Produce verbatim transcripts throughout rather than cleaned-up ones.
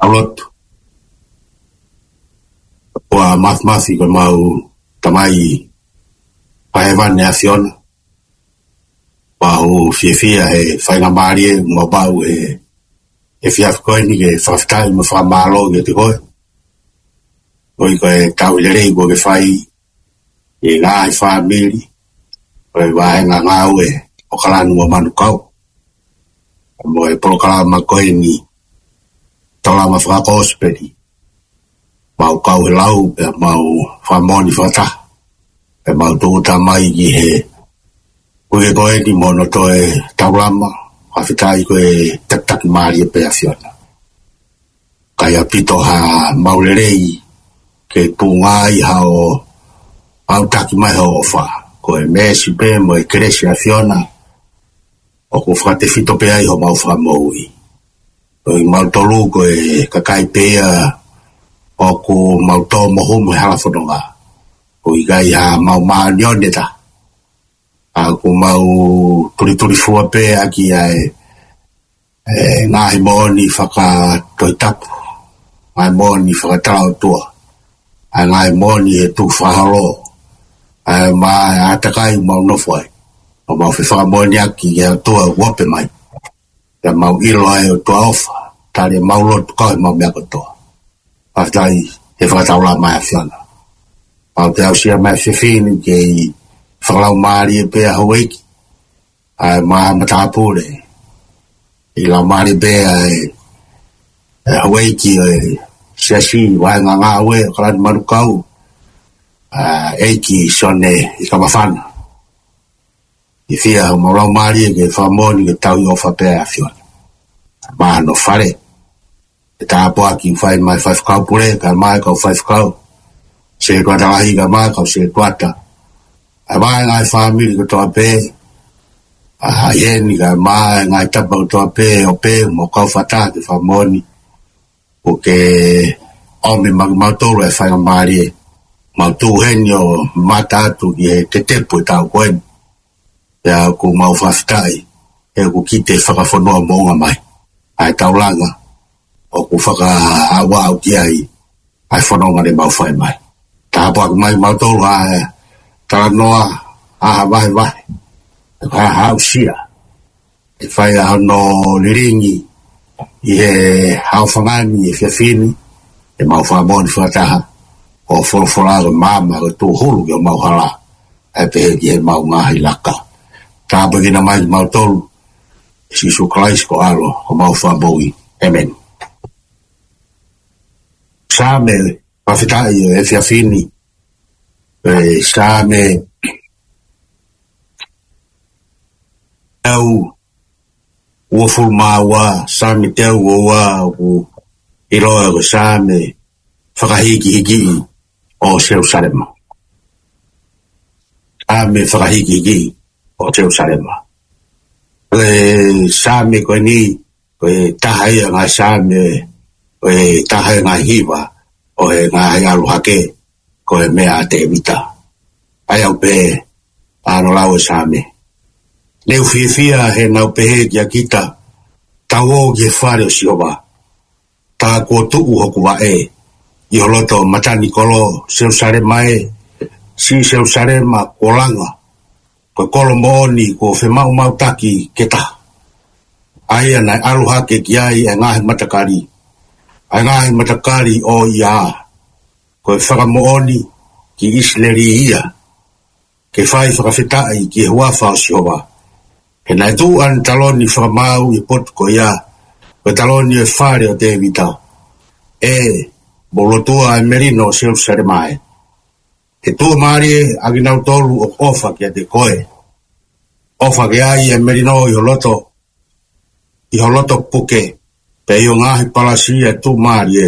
ʻAlotu. ʻOtua Māfimafi, ko ʻemau Tamai Fakahēvani ʻa e ʻAfiona, ʻoku ou fiefia he faingamālie ʻoku mau maʻu he, he efiafi ko eni ke fakafetaʻi mo fakamālō kiate koe. ʻOku ʻi ai e tauhi lelei kuo ke fai ʻi he ngaahi fāmili ʻo e vahenga ngāue ʻo ʻAokalani mo Manukau, mo e polokalama ko eni, Taulama Fakakosipeli. Mau kau he lau pea mau fakamoʻoni fakataha, pea mau tūʻuta mai ki he uike ko eni mo hono toe taulama. Fakafetaʻi ko e takitaki mālie pē ʻa e ʻAfiona. ʻIkai ʻaupito ha maʻu lelei ke tuʻunga ai haʻo ʻautaki mai hoʻo ʻofa. Ko e meesi pē mo e kelesi ʻa e ʻAfiona ʻoku fakatefito pē ai homau fakamoʻui. Ko kimautolu ko e kakai pē ia ʻoku mau tō mo humu he hala fononga. ʻOku ʻikai ha maʻu māʻoniʻoni ʻe taha. ʻA, ʻoku mau tulitulifua pē ʻaki ʻa e, e ngaahi moʻoni fakatohitapu, ngaahi moʻoni fakatalaʻotua, ʻa e ngaahi moʻoni he tukufakaholo, ʻa e ma-, ʻa e ʻātakai ʻoku mau nofo ai. ʻOku mau fefakamoʻoniʻaki ki he ʻOtua ʻoku ope mai. Pea mau ʻilo ʻa e ʻOtua ʻofa, tali ʻemau lotu kau ʻemau meʻa kotoa. Fakafetaʻi he fakataulama ʻa e ʻAfiona. Mau toe aʻusia mai e efiafi ni ke ʻi he fakalaumālie pē ʻa houʻeiki, ʻa e maama tāpule, ʻi he laumālie pē ʻa e, e houʻeiki ʻo e siasi vahenga ngāue ʻo ʻAokalani Manukau, ʻa e ʻEiki Sione ʻIkamafana. ʻI he fiefia homau laumālie ke fakamoʻoni ke tauhi ʻofa pē ʻa e ʻAfiona maʻa hono fale. ʻE tāpuaki fai mai faifekau pule, kae ʻumaʻā e kau faifekau, setuata lahi kae ʻumaʻā e kau setuata, ʻa e vahenga e fāmili kotoa pē, ʻa e ʻi heni kae ʻumaʻā e ngaahi tapa kotoa pē ʻo pē mo kau fakataha ke fakamoʻoni ʻoku ke ʻomi maʻa kimautolu e faingamālie, mau tuʻu heni ʻo mamata atu ki he tetepu ʻo e taʻu ko eni. Pea ʻoku mau fakafetaʻi he ʻoku kite fakafonua moʻunga mai ʻa e taulanga ʻoku fakaaʻuaʻu ki ai ʻa e fononga ne mau fai mai. Tāpuaki mai kimautolu ʻa e talanoa, ʻa e vahevahe, ʻa e aʻusia, ʻe fai ʻa hono lilingi ʻi he ʻaofangani ʻi he efiafi ni, ʻe mau fakamoʻoni fakataha ʻoku folofola ko e maama ko e tūhulu ki homau hala, ʻa e pehē ki heʻemau ngaahi laka. Tāpuekina mai kimautolu ʻe Sīsū Kalaisi ko e ʻAlo ʻo homau Fakamoʻui. ʻĒmeni. Saame fakafetaʻi ʻo e efiafi ni, ʻa e Saame teau uofulu mā ua, Saame teau uofulu mā ua, ʻoku ʻiloa ko e Saame fakahīkihikiʻi ʻo Selusalema. Saame fakahīkihikiʻi ʻo Selusalema. Ko e Saame ko eni, ko e taha ia e ngaahi Saame, ko e taha ia e ngaahi hiva ʻo e ngaahi ʻalu hake, ko e meʻa ʻa Tēvita. ʻA ia ʻoku pehē ʻa hono lau e Saame: Ne u fiefia heʻenau pehē kiate kita, Tau ō ki he fale ʻo Sihova. Tā kuo tuʻu hoku vaʻe ʻi ho loto matanikolo, Selusalema ē, siʻi Selusalema kuo langa, ko e kolo moʻoni kuo femaʻumaʻutaki ke taha, ʻa ia naʻe ʻalu hake ki ai e ngaahi matakali, ʻa e ngaahi matakali ʻo ia. Ko e fakamoʻoni ki ʻIsileli ia, ke fai fakafetaʻi ki he huafa ʻo Sihova. He naʻe tuʻu ʻene taloni fakamaau ʻi he potu ko ia, ko e taloni ʻo e fale ʻo Tēvita. ʻE, mou lotua ʻa e melino ʻo Selusalema ē. He tuʻumālie ʻa kinautolu ʻoku ʻofa kiate koe. ʻOfa ke ʻai e melino ʻi ho loto, ʻi ho loto puke, pea ʻi ho ngaahi palasi ʻa e tuʻumālie,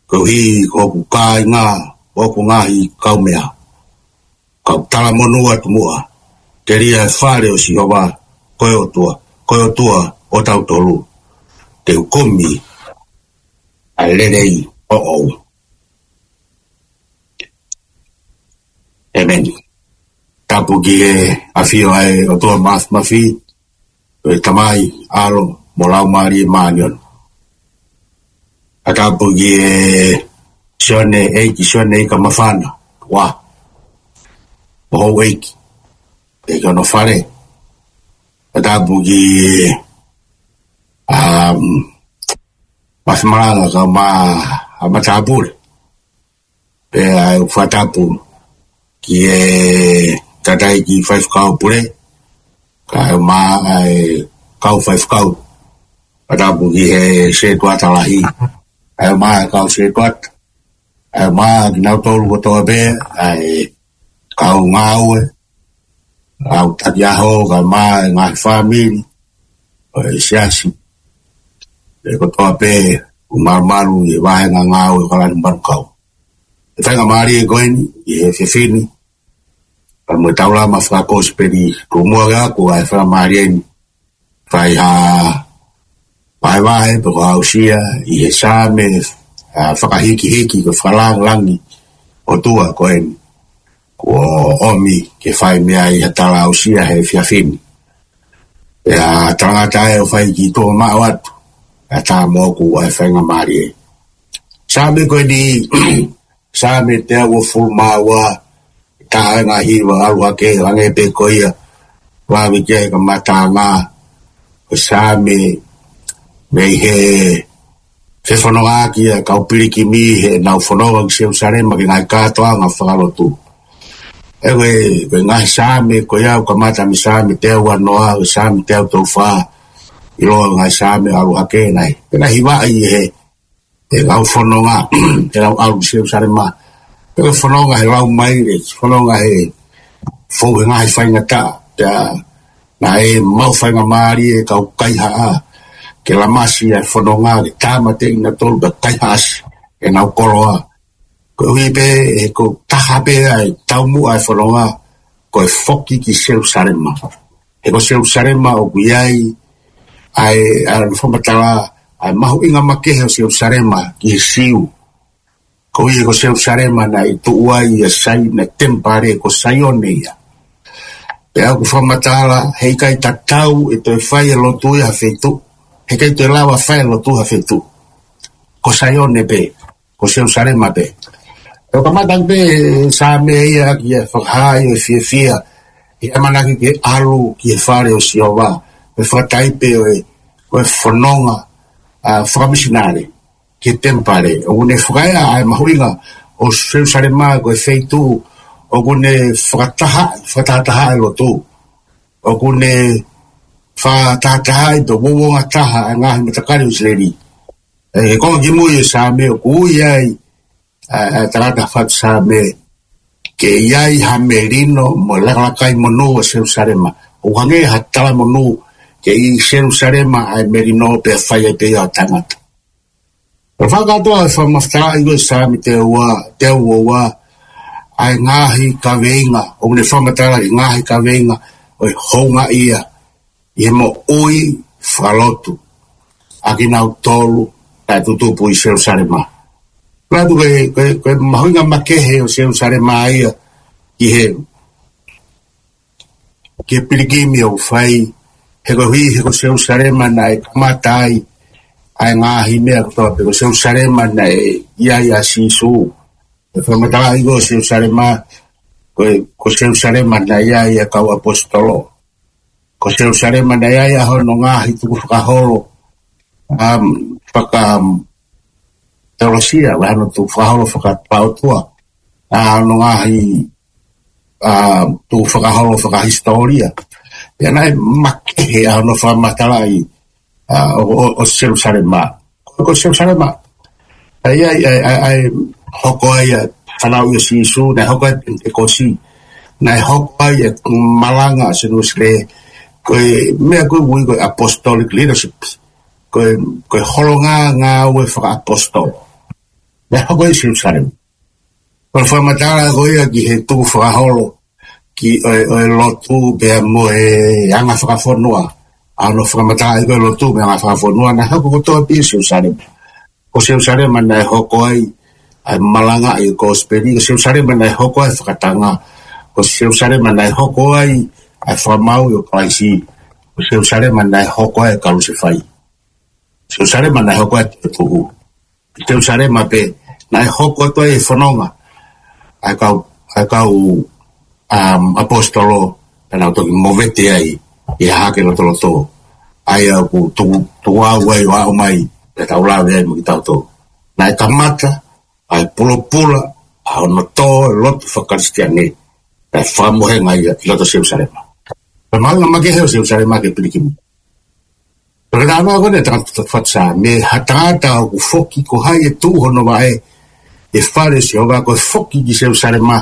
koeʻuhi ko hoku kāinga, ko hoku ngaahi kaumeʻa. Kau talamonū atu muʻa, telia e fale ʻo Sihova, ko e ʻOtua, ko e ʻOtua ʻo tautolu. Te u kumi ʻa e lelei ʻoʻou. ʻĒmeni. Tapu ki he ʻafio ʻa e ʻOtua Māfimafi, ko e Tamai, ʻAlo, mo e Laumālie Māʻoniʻoni. ʻA e Tapu ki he Sione, ʻEiki Sione Ikamafana, ua, ʻo houʻeiki, ʻEiki ʻo hono fale. Tapu ki, um, Masimalanga kae ʻumaʻā ʻa e matāpule. Pea ʻoku ou fakatapu ki he tangataʻeiki faifekau pule, kae ʻumaʻā ʻa e kau faifekau. Fakatapu ki he setuata lahi, kae ʻumaʻā ʻa e kau setuata, kae ʻumaʻā kinautolu kotoa pē, ʻa e kau ngāue, kau taki ʻaho, kae ʻumaʻā e ngaahi fāmili ʻo e siasi, ʻa e kotoa pē ʻoku malumalu ʻi he vāhenga ngāue ʻo e kau lanu manukau. ʻE faingamālie ko eni ʻi he efiafi ni, pea mo e taulama fakakosipeli, tuku muʻa ke u ako ʻa e faingamālie ni, fai ha vahevahe pe ko ha aʻusia ʻi he Saame, ʻa, fakahikihiki ko e fakalāngilangi ʻOtua ko eni, kuo ʻomi ke fai mei ai ha tala aʻusia he efiafi ni. Pea talangata ʻe ʻo fai ki tuʻa maʻu atu, ʻa tā moʻoku ʻa e faingamālie. Saame ko eni, Saame teau uofulu mā ua, taha e ngaahi hiva ʻalu hake, hangē pē ko ia ʻoku lave ki ai e kamataʻanga ʻo e Saame, mei he fefonongaʻaki ʻa e kau pilikimi heʻenau fononga ki Selusalema ki he ngaahi kātoanga fakalotu. ʻE ko e, ko e ngaahi Saame ko ia ʻoku kamata mei he Saame teau uanoa, ko e Saame teau tolu fā, ʻiloa ko e ngaahi Saame ʻalu hake nai. Pea naʻe hivaʻi ʻe he, ʻe he kau fononga, ʻenau ʻalu ki Selusalema. Pea ko e fononga he lau maile, fononga he fou he ngaahi faingataʻa. Pea naʻe maʻu faingamālie ʻa e kau kaihaʻa ke lamasi ʻa e fononga, ke tāmateʻi kinautolu pea kaihaʻasi ʻenau koloa. Koeʻuhi pē he ko e taha pē ʻa e taumuʻa ʻa e fononga ko e foki ki Selusalema. He ko Selusalema ʻoku ʻi ai ʻa e, ʻa e fakamatala ʻa e mahuʻinga makehe ʻo Selusalema ki he Siu. Koeʻuhi he ko Selusalema naʻe tuʻu ai ʻa Saina, temipale ko Saione ia. Pea ʻoku fakamatala heʻikai tatau ʻe toe fai e lotu ia ha feituʻu. Heʻikai toe lava fai e lotu ha feituʻu. Ko Saione pē, ko Selusalema pē. ʻOku kamata pē Saame ia ki he fakahā ʻo e fiefia, ʻi he ʻamanaki ke ʻalu ki he fale ʻo Sihova, ʻo fakataipe ʻo e, ʻo e fononga, ʻa, fakamisinale ki he temipale. ʻOku ne fakaeʻa ʻa e mahuʻinga ʻo Selusalema ko e feituʻu ʻoku ne fakataha, fakatahataha e lotu. ʻOku ne fakatahataha ʻi he uouongataha ʻa e ngaahi matakali ʻo ʻIsileli. ʻE, ko e konga kimui ʻo e Saame ʻoku ui ai ʻa e, ʻa e tangata fatu Saame ke ʻi ai ha melino mo e lakalaka monū ʻo Selusalema. ʻOku hangē ha tala monū ke ʻi Selusalema ʻa e melino pea fai ai pē ia ʻo tangata. Pea fakakātoa ʻe he fakamatalaʻi ʻo e Saame teau ua, teau uanoa, ʻa e ngaahi kaveinga, ʻoku ne fakamatala e ngaahi kaveinga ʻo e houngaʻia ʻi he moʻui fakalotu ʻa kinautolu naʻe tutupu ʻi Selusalema. Pea ʻoku ʻi ai, ko e, ko e mahuʻinga makehe ʻo Selusalema ia ki he, ki he pilikimi ʻoku fai, he koeʻuhi he ko Selusalema naʻe kamata ai ʻa e ngaahi meʻa kotoa pē, ko Selusalema naʻe ʻi ai ʻa Sīsū. ʻE fakamatalaʻi ko Selusalema, ko e, ko Selusalema naʻe ʻi ai ʻa e kau ʻaposetolo. Ko Selusalema naʻe ʻi ai ʻa hono ngaahi tukufakaholo, um, faka, um, teolosia, ʻa hono tukufakaholo fakataʻotua, ʻa hono ngaahi, um, tukufakaholo fakahisitōlia. Pea naʻe makehe ʻa hono fakamatalaʻi, ʻa, ʻo, ʻo, ʻo Selusalema. Ko, ko Selusalema, ʻa ia, ʻa, ʻa, ʻa e hoko ai ʻa e fanauʻi ʻo Sīsū, naʻe hoko ai ʻa e Penitekosi, naʻe hoko ai ʻa e malanga ʻa Sione Uēsilī, ko e meʻa ko ē ʻoku ui ko e apostolic leadership, ko e, ko e holonga ngāue fakaʻapositolo. Naʻe hoko ai ʻi Selusalema. Ko e fakamatala ko ia ki he tukufakaholo, ki he, ʻo e lotu pea mo e anga fakafonua. ʻA hono fakamatalaʻi ko e lotu mo e anga fakafonua naʻe hoko kotoa pē ʻi Selusalema. Ko Selusalema naʻe hoko ai ʻa e malangaʻi e kosipeli, ko Selusalema naʻe hoko ai e fakatanga, ko Selusalema naʻe hoko ai ʻa e fakamaau ʻo Kalaisi, ko Selusalema naʻe hoko ai e kalusefai. Selusalema naʻe hoko ai e tuʻu. Selusalema pē, naʻe hoko atu ai e fononga ʻa e kau, ʻa e kau, um, ʻaposetolo, pea nau toki movete ai ʻi he hahake lotoloto, ʻa ia ʻoku tuku, tuku au ai ʻo aʻu mai, pea tau lave ai mo kitautolu. Naʻe kamata ʻa e pulopula ʻa hono tō e lotu fakakalisitiane, pea fakamohenga ia ʻi loto Selusalema. Pea mahuʻinga makehe ʻo Selusalema ke pilikimi. Pea ko e talanoa ko eni ʻa e tangata Fatu Saame, ha tangata ʻoku foki, ko hai ʻe tuʻu hono vaʻe ʻi he fale ʻo Sihova, ko e foki ki Selusalema.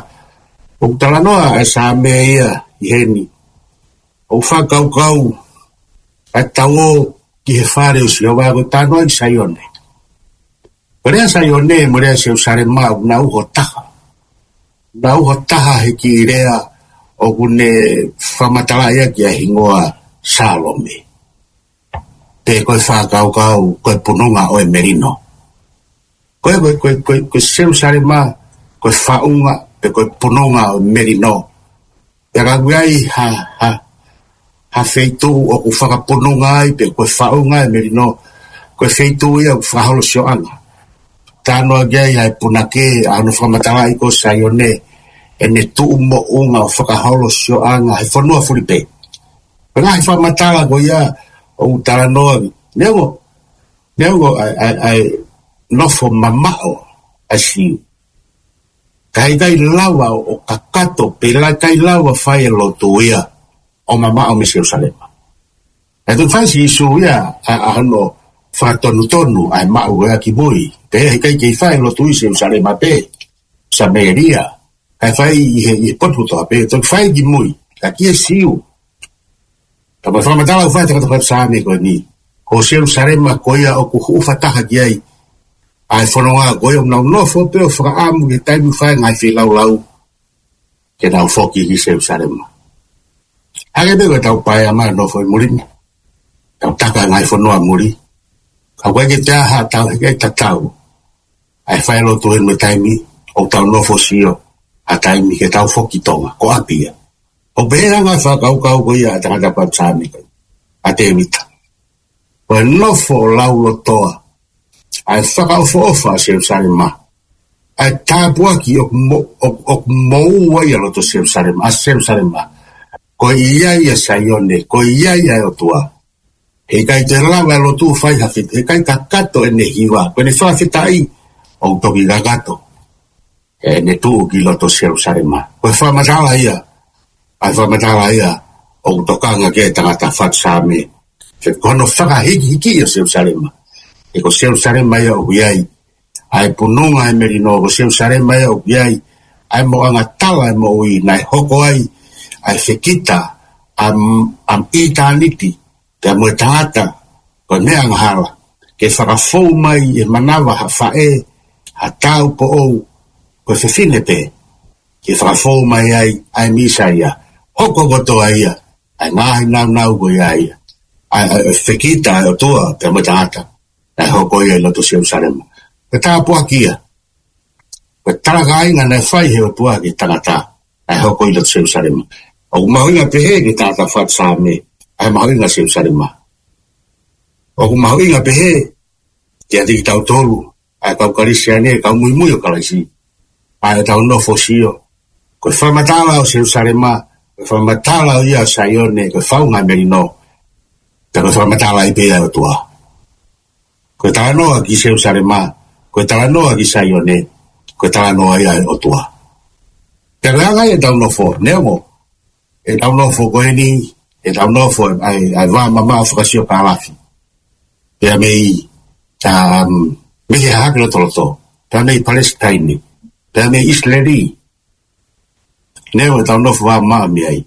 ʻOku talanoa ʻa e Saame ia ʻi heni, ʻoku fakakaukau ʻa e tau ō ki he fale ʻo Sihova, ko e talanoa ki Saione. Ko e lea Saione mo e lea Selusalema ʻoku nau ʻi ho taha. Nau ʻi ho taha he kiʻi lea ʻoku ne fakamatalaʻi ʻaki ʻa e hingoa Salome. Pe ko e fakakaukau, ko e pununga ʻo e melino. Ko e, ko e, ko e, ko e, ko e Selusalema, ko e faʻunga, pe ko e pununga ʻo e melino. Pea ka ʻoku ʻi ai ha, ha, ha feituʻu ʻoku fakapununga ai, pe ko e faʻunga e melino, ko e feituʻu ia ʻoku fakaholo sioʻanga. Talanoa ki ai ʻa e punake, ʻa hono fakamatalaʻi ko Saione, ʻene tuʻu moʻunga ʻo fakaholo sioʻanga he fonua fulipē. Pea ngaahi fakamatala ko ia ʻoku talanoa, neongo, neongo ʻa e, ʻa e, ʻa e nofo mamaʻo ʻa Siu, ka heʻikai lava ʻo, ʻo kakato, pe la ʻikai lava fai e lotu ia ʻo mamaʻo mei Selusalema. Naʻe toki fai ʻe Sīsū ia ʻa, ʻa hono fakatonutonu ʻa e maʻu ko ia ki mui. Pea heʻikai ke fai e lotu ʻi Selusalema pē, Samēlia, kae fai ʻi he, ʻi he potu kotoa pē, toki fai ki mui, ka ki he Siu. Ka ko e fakamatala ʻoku fai ʻe he tangata Fatu Saame ko eni, ko Selusalema ko ia ʻoku hūfanga taha ki ai ʻa e fononga ko ia, ʻoku nau nofo pē ʻo fakaʻamu ki he taimi ʻoku fai ai e ngaahi feilaulau ke nau foki ki Selusalema. Hangē pē ko ʻetau paea mai ʻo nofo ʻi muli ni, tau taka e ngaahi fonua muli, ka ʻoku ʻikai ke toe ʻi ai haʻatau, heʻikai tatau ʻa e fai lotu ʻi he taimi ʻoku tau nofo ʻo sio ha taimi ke tau foki ki Tonga, ko ʻapi ia. ʻOku pehē ʻa e ngaahi fakakaukau ko ia ʻa e tangata Fatu Saame ko ē, ʻa Tēvita. Ko e nofo ʻo laulotoa ʻa e fakaʻofoʻofa ʻa Selusalema, ʻa e tāpuaki ʻoku mo-, ʻoku, ʻoku moʻua ai ʻa loto Selusalema, ʻa Selusalema. Ko ia ia Saione, ko ia ia e ʻOtua. Heʻikai te lava e lotu fai ha fefine, heʻikai kakato ʻene hiva, ko ʻene fakafetaʻi ʻoku toki kakato ʻene tuʻu ki loto Selusalema. Ko e fakamatala ia, ʻa e fakamatala ia ʻoku tokanga ki ai e tangata Fatu Saame. He ko hono fakahikihiki ʻo Selusalema. He ko Selusalema ia ʻoku ʻi ai ʻa e pununga e melino, ko Selusalema ia ʻoku ʻi ai ʻa e moʻunga tala e moʻui, naʻe hoko ai ʻa e fekita ʻa, ʻa ʻitāniti, pea mo e tangata, ko e meʻa angahala, ke fakafou mai e manava ha faʻē, ha taupoʻou, ko e fefine pē, ke fakafou mai ai ʻa e Mīsaia. Hoko kotoa ia ʻa e ngaahi naunau ko ia ia, ʻa e, ʻa e fekita ʻa e ʻOtua pea mo e tangata, naʻe hoko ia ʻi loto Selusalema. Ko e tāpuaki ia, ko e talakāinga naʻe fai ʻe he ʻOtua ki he tangata, naʻe hoko ʻi loto Selusalema. ʻOku mahuʻinga pehē ki he tangata Fatu Saame ʻa e mahuʻinga ʻo Selusalema. ʻOku mahuʻinga pehē kiate kitautolu, ʻa e kau Kalisitiane, kau muimui ʻo Kalaisi, ʻa ʻetau nofo ʻo sio. Ko e fakamatala ʻo Selusalema, ko e fakamatala ia ʻo Saione, ko e faʻunga e melino, pea ko e fakamatala ia pē ʻa e ʻOtua. Ko e talanoa ki Selusalema, ko e talanoa ki Saione, ko e talanoa ia ʻa e ʻOtua. Pea ko e anga ia ʻetau nofo, neongo ʻetau nofo ko eni, ʻetau nofo ʻa e, ʻa e vā mamaʻo fakasiokālafi, pea mei, um, mei he hahake lotoloto, pea mei Palesitaine, pea mei ʻIsileli. Neongo ʻetau nofo vā mamaʻo mei ai,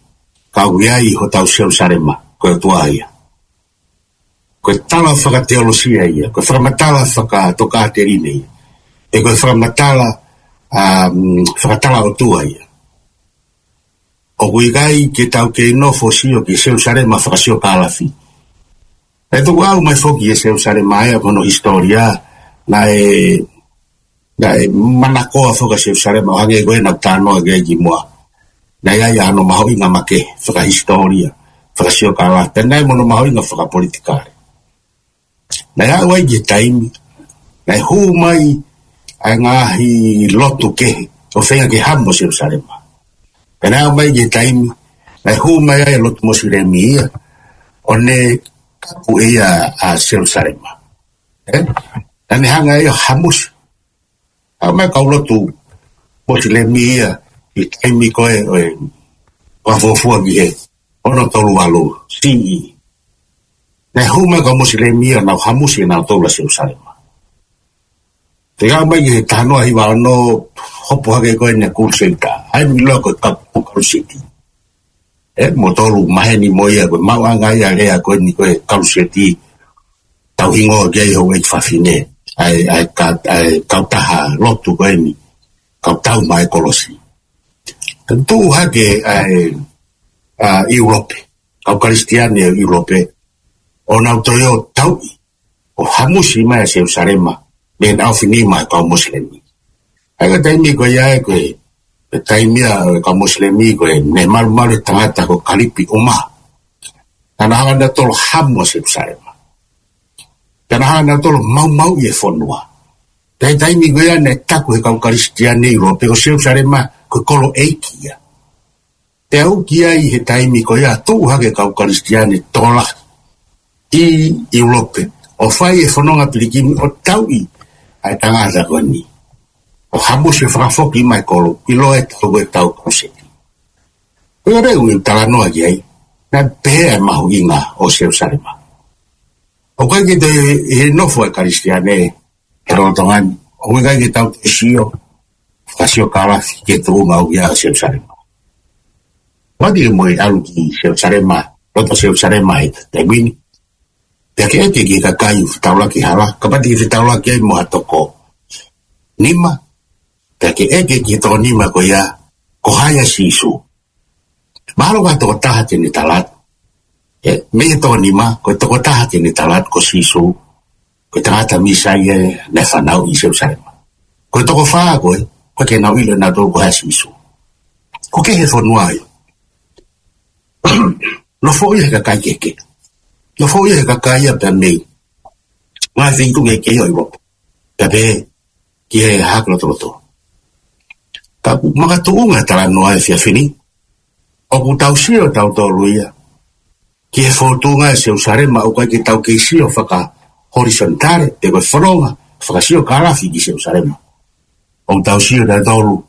ka ʻoku ʻi ai hotau Selusalema, ko e ʻOtua ia. Ko e tala fakateolosia ia, ko e fakamatala fakatokāteline ia, ʻe ko e fakamatala, um, fakatala ʻOtua ia. ʻOku ʻikai ke tau kei nofo ʻo sio ki Selusalema fakasiokālafi. ʻE tuku au mai foki ʻi Selusalema ia, ko hono hisitōlia, naʻe, naʻe manakoa foki ʻa Selusalema, ʻo hangē ko ʻena talanoa ki ai kimuʻa. Naʻe ʻi ai hano mahuʻinga makehe fakahisitōlia, fakasiokālafi, pea naʻe mo hono mahuʻinga fakapolitikale. Naʻe aʻu ai ki he taimi Naʻe hū mai ʻa e ngaahi lotu kehe ʻo feinga ke hamu ʻa Selusalema. Pea naʻe aʻu mai ki he taimi naʻe hū mai ai e lotu Mosilemi ia ʻo ne kapu ʻe ia ʻa Selusalema. ʻE? Naʻa ne hanga ʻe ia ʻo hamusi. Aʻu mai e kau lotu Mosilemi ia ʻi he taimi ko ē ʻo e fakafuofua ki he ono tolu valu C E. Naʻe hū mai e kau Mosilemi ia ʻo nau hamusi ʻe nautolu ʻa Selusalema. Pea aʻu mai ki he taha noa hiva ono, hopo hake ko eni e Kuluseita. ʻA ia ʻoku ʻiloa ko e kapu Kaluseti. ʻE, mou tolu maheni mo ia, ko e maʻuʻanga ia e lea ko eni ko e Kaluseti, tau hingoa ki ai houʻeiki fafine, ʻa e, ʻa e ka-, ʻa e kautaha lotu ko eni, kautau mai e kolosi. Pea tuʻu hake ʻa e, ʻa ʻIulope, kau Kalisitiane ʻo ʻIulope, ʻo nau toe ō ʻo tauʻi ʻo hamusi mai ʻa Selusalema mei he ʻaofinima ʻa e kau Mosilemi. ʻA ia ko e taimi ko ia ē ko e, ko e taimi ia ʻo e kau Mosilemi ko ē, ne malumalu e tangata ko Kalipi ʻUmaha. Naʻa nau hanga ʻe nautolu ʻo hamu ʻa Selusalema. Pea nau hanga ʻe nautolu ʻo maumauʻi e fonua. Pea ʻi he taimi ko ia naʻe taku ʻe he kau Kalisitiane ʻi ʻIulope ko Selusalema ko e kolo ʻeiki ia. Pea ʻoku ʻi ai he taimi ko ia tuʻu hake e kau Kalisitiane tokolahi ʻi ʻIulope ʻo fai e fononga pilikimi ʻo tauʻi ʻa e tangata ko eni, ʻo hamusi ʻo fakafoki mai e kolo, ʻiloa ʻe tautolu ko e kau Kaluseti. Ko ia ʻoku ou talanoa ki ai, naʻe pehē ʻa e mahuʻinga ʻo Selusalema. ʻOku ʻikai ke toe ʻi he nofo ʻa e Kalisitiane he lolotonga ni, ʻoku ʻikai ke tau toe sio fakasiokālafi ki he tuʻunga ʻoku ʻi ai ʻa Selusalema. Kapau te mou ʻalu ki Selusalema, loto Selusalema he taimi ni, pea ke ʻeke ki he kakai ʻoku fetaulaki hala, kapau te ke fetaulaki ai mo ha toko nima, pea ke ʻeke ki he toko nima ko ia, ko hai ʻa Sīsū. Mahalo ko ha tokotaha te ne tala atu. ʻE, mei he toko nima, ko e tokotaha te ne tala atu ko Sīsū, ko e tangata Mīsaia naʻe fanauʻi ʻi Selusalema. Ko e toko fā ko ē, ʻoku ʻikai ke nau ʻilo ʻe nautolu ko hai ʻa Sīsū. Ko e kehe e fonua ia. Nofoʻia ʻe he kakai kehekehe. Nofoʻia ʻe he kakai ia pea mei he ngaahi feituʻu kehekehe ʻo ʻIulope. Pea pehē ki he haaʻi lotolotonga. Ka ʻoku makatuʻunga e talanoa he efiafi ni, ʻoku tau sio tautolu ia ki he fōtunga ʻo Selusalema, ʻoku ʻikai ke tau kei sio faka-horisontale, pe ko e fononga fakasiokālafi ki Selusalema. ʻOku tau sio tautolu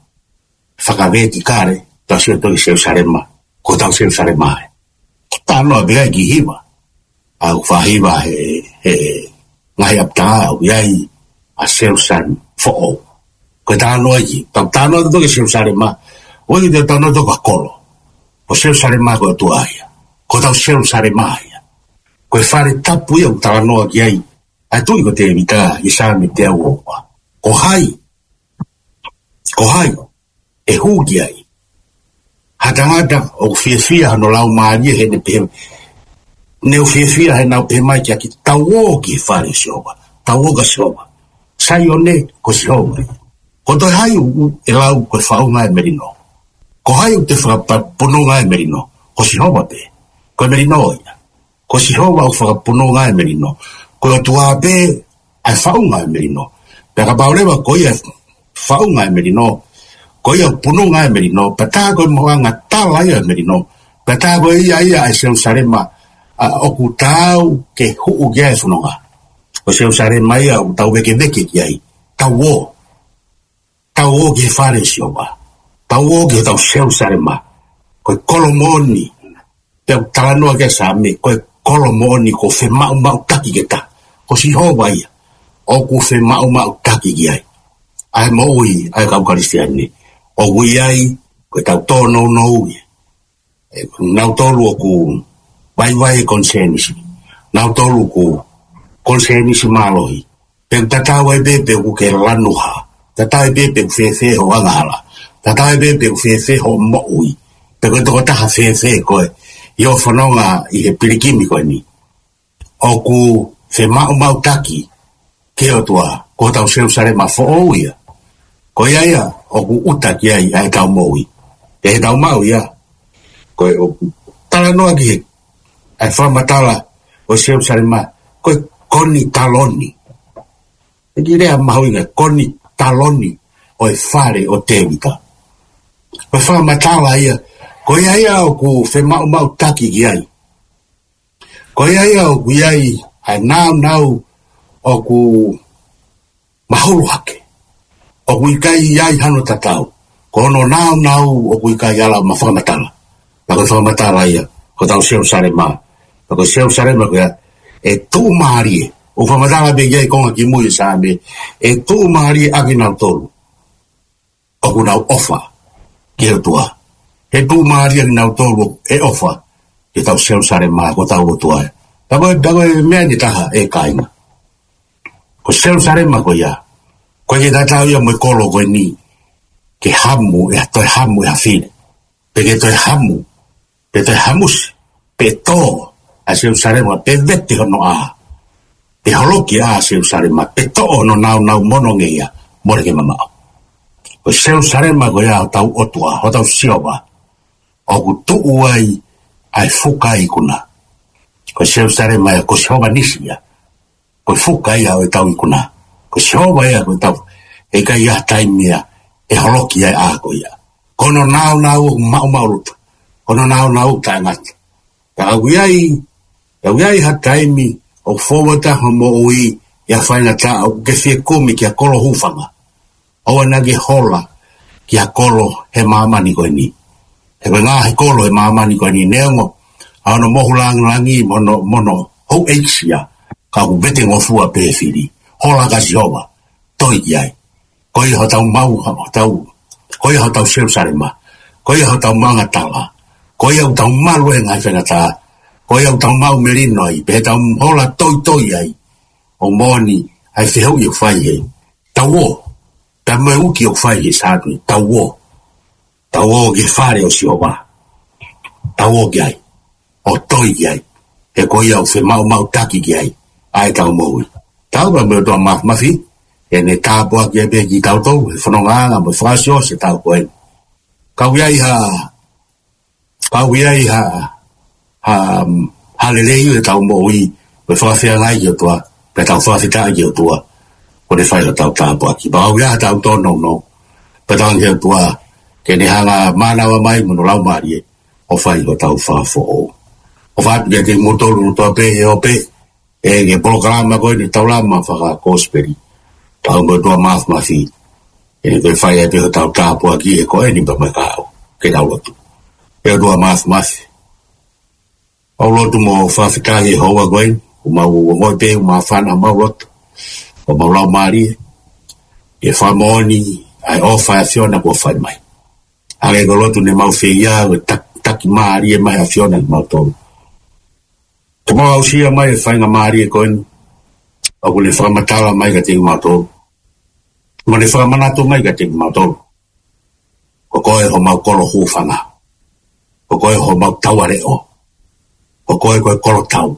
fakavētikale, tau sio tautolu ki Selusalema, ko hotau Selusalema ē. Talanoa pē ki he hiva. ʻA e faʻahiva he, he ngaahi ʻapitanga ʻoku ʻi ai ʻa Selusalema foʻou. Ko e talanoa ia, tau talanoa tautolu ki Selusalema, ʻoku ʻikai ke tau talanoa tautolu ki ha kolo. Ko Selusalema ko e ʻOtua ia. Ko hotau Selusalema ia. Ko e fale tapu ia ʻoku talanoa ki ai ʻa e tuʻi ko Tēvita ʻi he Saame teau ua ua. Ko hai, ko hai ʻe hū ki ai? Ha tangata ʻoku fiefia hono laumālie heʻene pehē, ne u fiefia heʻenau pehē mai kiate au, tau ō ki he fale ʻo Sihova, tau ō kia Sihova. Saione, ko Sihova ia. Ko e toe hai ʻoku ʻe lau ko e faʻunga ʻo e melino? Ko hai ʻoku toe fakapununga ʻa e melino? Ko Sihova pē. Ko e melino ia. Ko Sihova ʻoku fakapununga ʻa e melino. Ko e ʻOtua pē ʻa e faʻunga ʻo e melino. Pea kapau leva ko ia ʻa e faʻunga ʻo e melino, ko ia ʻoku pununga ʻa e melino, pea tā ko e maʻuʻanga tala ia ʻo e melino, pea tā ko ia ia ʻa e Selusalema, ʻa, ʻoku tau ke hū ki ai e fononga. Ko Selusalema ia ʻoku tau vēkeveke ki ai. Tau ō. Tau ō ki he fale ʻo Sihova. Tau ō ki hotau Selusalema. Ko e kolo moʻoni. Pea ʻoku talanoa ki ai e Saame, ko e kolo moʻoni ʻoku femaʻumaʻutaki ke tā. Ko Sihova ia ʻoku femaʻumaʻutaki ki ai ʻa e moʻui ʻa e kau Kalisitiane. ʻOku ʻi ai, ko ʻetau tōnounou ia. ʻE, nautolu ʻoku vaivai e konisēnisi. Nautolu ʻoku konisēnisi mālohi. Pe ʻoku tatau ai pē pe ʻoku ke lanu hā. Tatau ai pē pe ʻoku fēfē hoʻo angahala. Tatau ai pē pe ʻoku fēfē hoʻo moʻui. Pe ko e tokotaha fēfē koe ʻi hoʻo fononga ʻi he pilikimi ko eni. ʻOku femaʻumaʻutaki ki he ʻOtua, ko hotau Selusalema foʻou ia. Ko ia ia ʻoku ʻuta ki ai ʻa ʻetau moʻui. ʻE heʻetau maʻu ia. Ko e ʻoku talanoa ki he, ʻa e fakamatala ʻo Selusalema, ko e konitaloni. ʻEiki lea mahuʻinga, ko eni taloni ʻo e fale ʻo Tēvita. Ko e fakamatala ia, ko ia ia ʻoku femaʻumaʻutaki ki ai. Ko ia ia ʻoku ʻi ai ʻa e nāunau ʻoku mahulu hake. ʻOku ʻikai ʻi ai hano tatau. Ko hono nāunau ʻoku ʻikai ala ma fakamatala. Pea ko e fakamatala ia, ko hotau Selusalema. Pea ko e Selusalema ko ia, ʻe tuʻumālie. ʻOku fakamatala pē ki ai konga kimui e Saame. ʻE tuʻumālie ʻakinautolu ʻoku nau ʻofa ki he ʻOtua. ʻE tuʻumālie ʻakinautolu ʻe ʻofa ki hotau Selusalema, ko hotau ʻOtua. Pea ko e, pea ko e meʻa eni ʻe taha ʻe kāinga. Ko Selusalema ko ia, ko e ke tatau ia mo e kolo ko eni, ke hamu, ʻe toe hamu ʻe ha fili. Pe ke toe hamu, pe toe hamusi, pe tō ʻa Selusalema, pe vete hono ʻā, pe holoki ʻa Selusalema, pe toʻo hono nāunau mo hono ngeia, mole ke mamaʻo. Ko Selusalema ko ia hotau ʻOtua, hotau Sihova, ʻoku tuʻu ai ʻa e fuka ikuna. Ko Selusalema ia, ko Sihova Nisi ia. Ko e fuka ia ʻo ʻetau ikuna. Ko Sihova ia ko ʻetau, ʻe ʻikai ha taimi ia ʻe holoki ai ʻa e ʻā ko ia. Ko hono nāunau ʻoku maʻumaʻuluta. Ko hono nāunau ʻoku taʻengata. Ka ʻoku ʻi ai, ka ʻoku ʻi ai ha taimi ʻoku fou atu ai ho moʻui ʻi ha faingataʻa ʻoku ke fie kumi ki ha kolo hūfanga. ʻOua naʻa ke hola ki ha kolo he māmani ko eni. He ko e ngaahi kolo he māmani ko eni neongo ʻa hono mohu langilangi mo hono, mo hono houʻeiki ia, ka ʻoku vete ngofua pē he fili. Hola kia Sihova, toe ki ai. Ko ia hotau maʻu, hotau, ko ia hotau Selusalema, ko ia hotau maʻunga tala, ko ia ʻoku tau malu he ngaahi faingataʻa, ko ia ʻoku tau maʻu melino ai, pea tau hola toitoi ai. ʻOku moʻoni ʻa e fehuʻi ʻoku fai he, tau ō, pea mo e uki ʻoku fai he Saame, tau ō. Tau ō ki he fale ʻo Sihova. Tau ō ki ai. ʻO toe ki ai. He ko ia ʻoku femaʻumaʻutaki ki ai ʻa ʻetau moʻui. Tau pea mo e ʻOtua Māfimafi, ʻene tāpuakiʻi pē kitautolu he fonongaʻanga mo e fakaʻosiʻosi ʻo e taʻu ko eni. Ka ʻoku ʻi ai ha, ka ʻoku ʻi ai ha, ha, ha lelei ʻi heʻetau moʻui, mo e fakafeangai ki he ʻOtua, pea tau fakafetaʻi ki he ʻOtua, kuo ne fai hotau tāpuaki. Pea ʻoku ʻi ai hotau tōnounou, pea tau ʻoange ki he ʻOtua ke ne hanga ʻo mānava mai mo hono Laumālie ʻo fai hotau fakafoʻou. ʻOfa atu kiate kimoutolu kotoa pē he ʻope, ʻi he polokalama ko eni Taulama Fakakosipeli, tau mo e ʻOtua Māfimafi, ʻe ne toe fai ai pē hotau tāpuaki he ko eni pea mo e kahaʻu. Ke tau lotu. ʻE ʻOtua Māfimafi, ʻoku mau lotu mo fakafetaʻi he houa ko eni, ʻoku mau ongoʻi pē ʻoku māfana homau loto, homau laumālie, ʻi he fakamoʻoni ʻa e ʻofa ʻa e ʻAfiona kuo fai mai. Hangē ko e lotu ne mau fai, ʻa e taki, taki mālie mai ʻa e ʻAfiona kiate kimautolu. Ke mau aʻusia mai e faingamālie ko eni, ʻoku ne fakamatala mai kiate kimautolu, mo ne fakamanatu mai kiate kimautolu. Ko koe homau kolo hūfanga. Ko koe homau taua leʻo. Ko koe ko e kolo tau.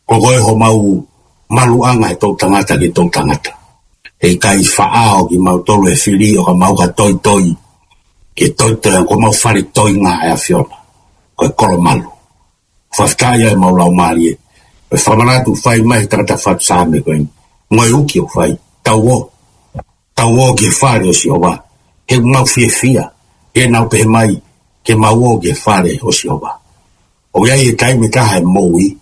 Ko koe homau maluʻanga he toʻutangata ki he toʻutangata. He ʻikai faʻao kimautolu ʻe he fili ʻo ka mau ka toitoi. Ke toitoi, ko homau fale toiʻanga ʻa e ʻAfiona. Ko e kolo malu. Fakafetaʻi ʻa e mau laumālie. Ko e fakamanatu fai mai he tangata fatu Saame ko eni. Mo e uki ʻoku fai. Tau ō. Tau ō ki he fale ʻo Sihova. He ʻoku mau fiefia. He naʻa nau pehē mai, ke mau ō ki he fale ʻo Sihova. ʻOku ʻi ai e taimi ʻe taha he moʻui,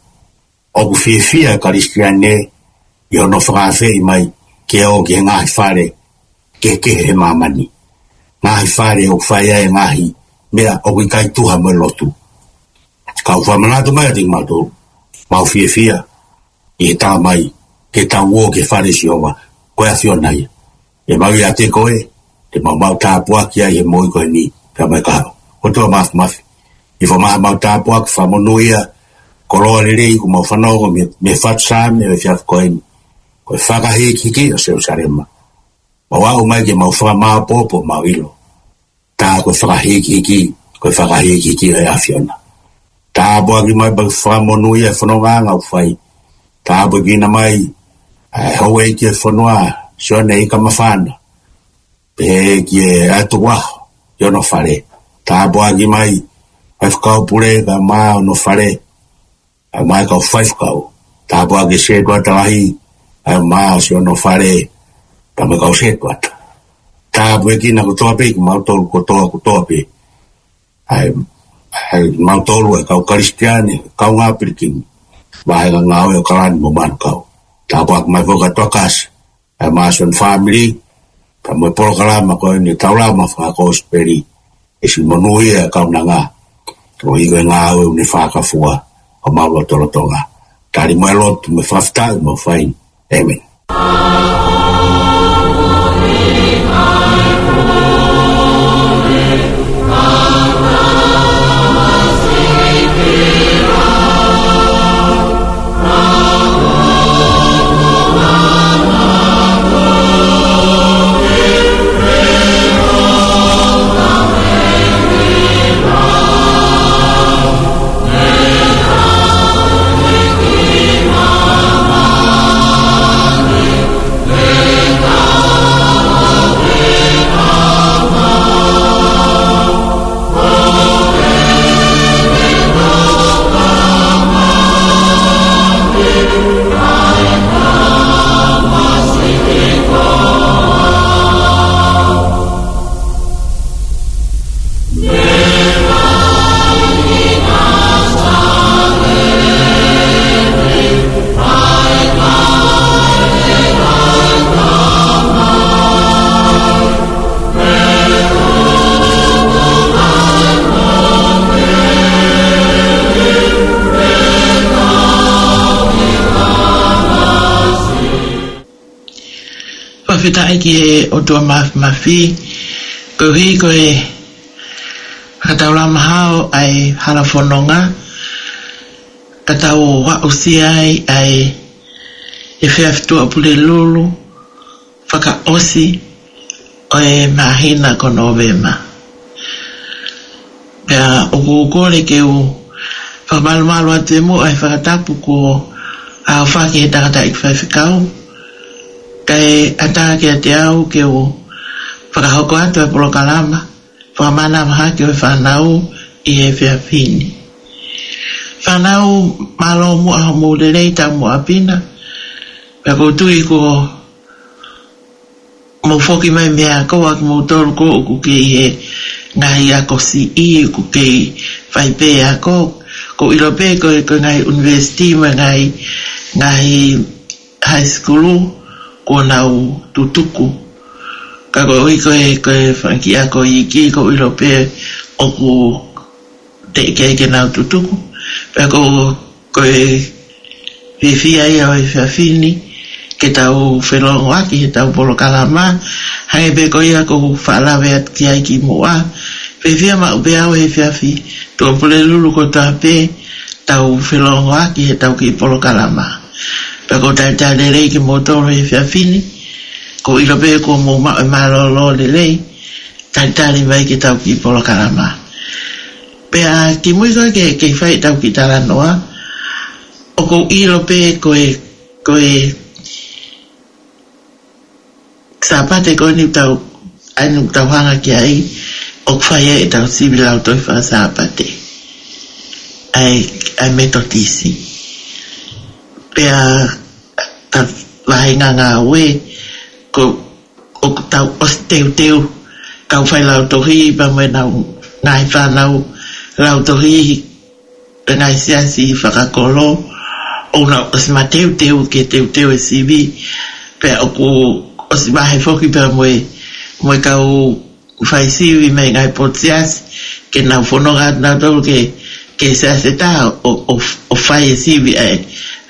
ʻoku fiefia e Kalisitiane ʻi hono fakaafeʻi mai ke ō ki he ngaahi fale kehekehe he māmani. Ngaahi fale ʻoku fai ai e ngaahi meʻa ʻoku ʻikai tuha mo e lotu. Ka ʻoku fakamanatu mai kiate kimautolu, mau fiefia ʻi he tala mai ke tau ō ki he fale ʻo Sihova, ko e ʻAfiona ia. ʻE mau ʻiate koe, te mau maʻu tāpuaki ai he moʻui ko eni, pea mo e kahaʻu. ʻOtua Māfimafi, ʻi he fakamoʻoni mau tāpuaki, fakamonūʻia, koloa lelei kuo mau fanongo mei, mei he fatu Saame ʻo e efiafi ko eni. Ko e fakahīkihiki ʻo Selusalema. Mau aʻu mai ke mau fakamāopoopo, mau ʻilo. Tā ko e fakahīkihiki, ko e fakahīkihiki ʻo e ʻAfiona. Tāpuaki mai pea fakamonūʻia e fonongaʻanga ʻoku fai. Tāpuakiʻi mai ʻa e houʻeiki ʻo e fonua, Sione Ikamafana. Pehē ki he ʻatu ʻaho ʻi hono fale. Tāpuakiʻi mai ʻa e Faifekau Pule kae ʻumaʻā hono fale, ʻa e kau faifekau. Tāpuakiʻi Setuata Lahi, ʻa e mā ʻo siʻono fale, pea mo e kau setuata. Tāpuekina kotoa pē kimautolu kotoa kotoa pē. ʻA e, ʻa e mautolu ʻa e kau Kalisitiane, kau ngā pilikimi. Vahenga ngāue ʻo Kalani mo Manukau. Tāpuaki mai foki ʻa Tuakasi. ʻA e mā ʻo siʻono fāmili. Pea mo e polokalama ko eni Taulama Fakakosipeli. ʻE siʻi monūʻia e kaunanga. Ko e ʻi he ngāue ʻoku ne fakafua. Ka mau loto lotonga. Tali mo e lotu mo e fakafetaʻi mo e fai. ʻĒmeni. Fakafetaʻi ki he ʻOtua Mafimafi, koeʻuhi ko e fakataulama hao ʻa e hala fononga, ka tau aʻusia ai ʻa e efiafi Tuʻapulelulu fakaʻosi ʻo e māhina ko Nōvema. Pea ʻoku ou kole ke u fakamalumalu atu ʻi muʻa ʻa e fakatapu kuo ʻaofaki ʻe he tangataʻeiki faifekau, kae ʻatā kiate au ke u fakahoko atu ʻa e polokalama fakamanavahē ki he fānau ʻi he efiafi ni. Fānau, mālō muʻa hoʻomou lelei, taumuʻa ʻaupito. Pea ʻoku ou tui kuo mou foki mai mei he ako, ʻa kimoutolu ko ē ʻoku kei ʻi he ngaahi ako siʻi, ʻoku kei fai pē ako. ʻOku ou ʻilo pē ko e, ko e ngaahi university mo e ngaahi, ngaahi high school kuo nau tutuku. Ka koeʻuhi ko e, ko e fanga kiʻi ako iiki, ʻoku ou ʻilo pē ʻoku teʻeki ai ke nau tutuku. Pea ko, ko e fiefia ia ʻo e efiafi ni ke tau felōngoaki heʻetau polokalama, hangē pē ko ia kuo u faʻa lave atu ki ai kimuʻa. Fiefia maʻu pē au he efiafi Tuʻapulelulu kotoa pē tau felōngoaki heʻetau kiʻi polokalama. Pea ʻoku ou talitali lelei kimoutolu he efiafi ni, ʻoku ou ʻilo pē kuo mou maʻu e mālōlō lelei, talitali mai ki heʻetau kiʻi polokalama. Pea kimui ko ē ke, ke fai ʻetau kiʻi talanoa, ʻoku ou ʻilo pē ko e, ko e Sāpate ko eni ʻoku tau, ʻa eni ʻoku tau hanga ki ai, ʻoku fai ai ʻetau sivi Lautohi Faka-Sāpate ʻa e, ʻa e Metotisi. Pea ka vahenga ngāue, ko, ʻoku tau ʻosi teuteu, kau fai lautohi, pea mo ʻenau ngaahi fānau lautohi, ʻa e ngaahi siasi fakakolo, ʻoku nau ʻosi mateuteu ke teuteu e sivi, pea ʻoku ʻosi vahe foki pea mo e, mo e kau fai sivi mei he ngaahi potu siasi, ke nau fononga atu nautolu ki he, ki he siasi ʻe taha ʻo, ʻo, ʻo fai e sivi ʻa e,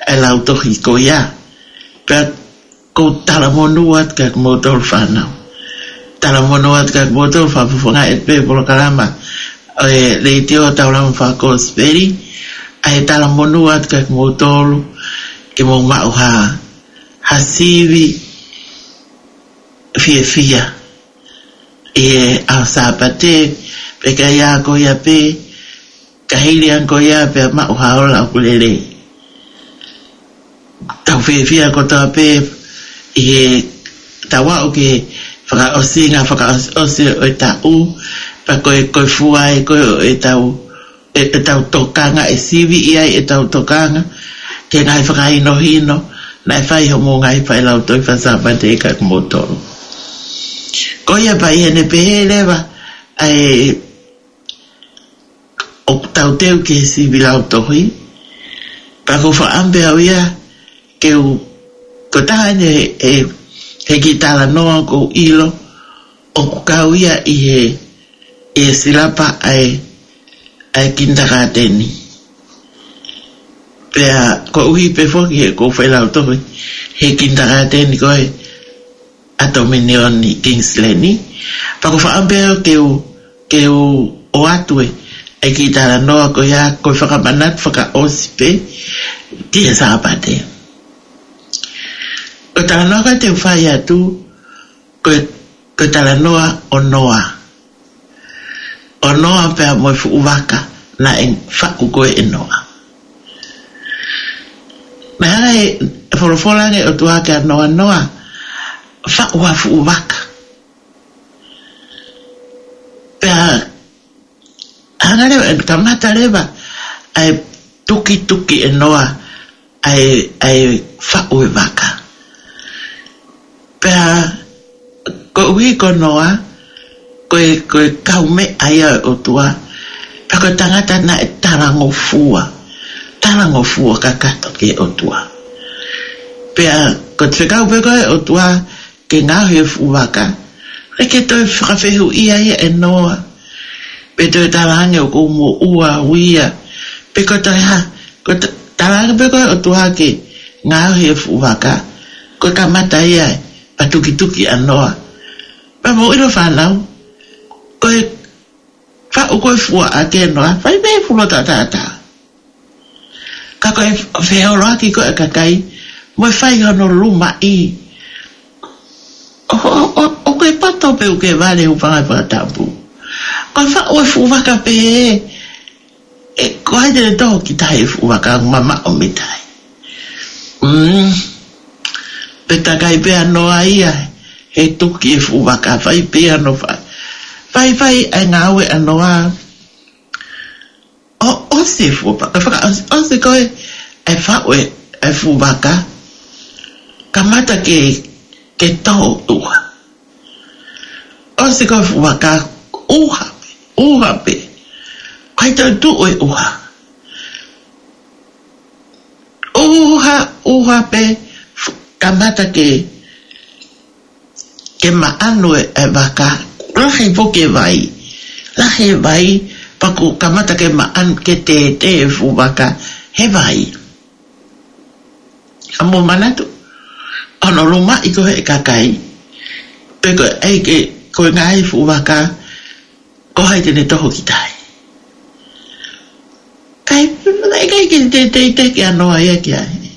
ʻa e lautohi ko ia. Pea ʻoku ou talamonū atu kiate kimoutolu fānau. Talamonū atu kiate kimoutolu fakafofongaʻi atu pē polokalama ʻo e Letiō Taulama Fakakosipeli. ʻA e talamonū atu kiate kimoutolu ke mou maʻu ha, ha sivi fiefia ʻi he ʻaho Sāpate, pea ka ʻi ai ko ia pē, ka hili ange ko ia pea maʻu ha ola ʻoku lelei. Tau fiefia kotoa pē ʻi heʻetau aʻu ki he fakaʻosinga, fakaʻosiʻosi ʻo e taʻu, pea ko e, ko e fua ia ko ē ʻo ʻetau, ʻe, ʻetau tokanga, ʻe sivi ia ʻetau tokanga ki he ngaahi fakahinohino Naʻe fai hoʻomou ngaahi failautohi faka-Sāpate kia kimoutolu. Ko ia pea ʻi heʻene pehē leva ʻa e ʻoku tau teu ki he sivi lautohi, pea ʻoku ou fakaʻamu pē au ia ke u, ko e taha eni he, he, he kiʻi talanoa ʻoku ou ʻilo ʻoku kau ia ʻi he, ʻi he silapa ʻa e, ʻa e kinitakāteni. Pea koeʻuhi pē foki he ʻoku ou failautohi he kinitakāteni ko ē ʻa Tominioni Kingsley ni. Pea ʻoku ou fakaʻamu pē au ke u, ke u ʻoatu e, e kiʻi talanoa ko ia, ko e fakamanatu fakaʻosi pē ki he Sāpate. Ko e talanoa ko ē te u fai atu, ko e, ko e talanoa ʻo Noa. ʻO Noa pea mo e fuʻu vaka naʻe faʻu ko ē ʻe Noa. Naʻe hanga ʻe he folofola ange ʻOtua kia Noa, Noa, faʻu ha fuʻu vaka. Pea hanga leva, ʻe kamata leva ʻa e tukituki ʻe Noa ʻa e, ʻa e faʻu e vaka. Pea koeʻuhi ko Noa, ko e, ko e kaumeʻa ia ʻo e ʻOtua, pea ko e tangata naʻe talangofua, talangofua kakato ki he ʻOtua. Pea ko e fekau pē ko ē ʻOtua ke ngaohi e fuʻu vaka, ʻikai ke toe fakafehuʻia ia ʻe Noa. Pe toe talaange ʻoku ou moʻua au ia. Pe ko e toe hā, ko e ta-, talaange pē ko ē ʻOtua ke ngaohi e fuʻu vaka, ko e kamata ia ʻa e tukituki ʻa Noa. Pea mou ʻilo fānau, ko e faʻu ko ē fuaʻa ʻe Noa, fai pē fulo tātātā. Ka ko e feoloaki ko ē ʻa e kakai, mo e fai hono lumaʻi. ʻO, ʻo, ʻo, ʻoku ke poto pe ʻoku ke vale, hūfanga he fakatapu. Ko e faʻu e fuʻu vaka pē, ʻe, ko hai te ne toho ki tahi e fuʻu vaka, mamaʻo mei tahi. Mm. Pea takai pē ʻa Noa ia he tuki e fuʻu vaka, fai pē ʻa Noa, fai, fai, fai ʻa e ngāue ʻa Noa. ʻO, ʻosi e fuʻu vaka, fakaʻosi, ʻosi ko ē ʻa e faʻu e, e fuʻu vaka, kamata ke, ke toho ʻuha. ʻOsi ko ē fuʻu vaka, ʻuha pē, ʻuha pē. ʻIkai toe tuʻu e ʻuha. ʻUha, ʻuha pē, fu-, kamata ke, ke maʻanu e, e vaka, lahi foki e vai. Lahi e vai, pea kuo kamata ke maʻanu, ke tētē e fuʻu vaka he vai. Ka mou manatu, ʻa hono lumaʻi ko ē ʻe he kakai, pe ko e ʻai ke, ko e ngaahi fuʻu vaka, ko hai te ne toho ki tahi. Kai, ʻikai ke te, te, te ke ʻa Noa ia ki ai.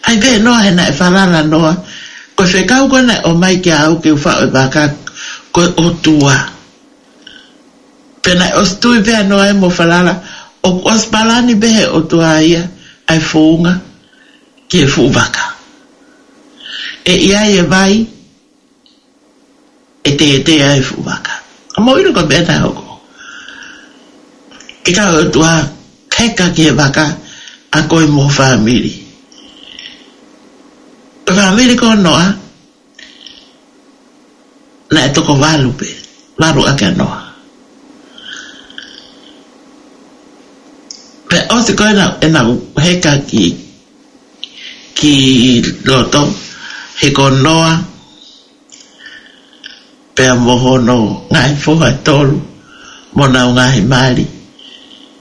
ʻAi pē Noa he naʻe falala Noa. Ko e fekau ko ē naʻe ʻomai kia au ke u faʻu e vaka, ko e ʻOtua. Pea naʻe ʻosi tui pē ʻa Noa ia mo falala, ʻoku ʻosi palani pē he ʻOtua ia ʻa e founga ki he fuʻu vaka. ʻE ʻi ai e vai, ʻe tētē ai e fuʻu vaka. Ka mou ʻilo ko e meʻa naʻe hoko. Ke kau e ʻOtua, heka ki he vaka, ʻa koe mo ho fāmili. Ko e fāmili ko ē ʻo Noa, naʻe toko valu pē, valu ʻaki ʻa Noa. Pea ʻosi ko ē ʻena, ʻena heka ki, ki loto, he ko Noa, pea mo hono ngaahi foha ʻe tolu, mo honau ngaahi mali,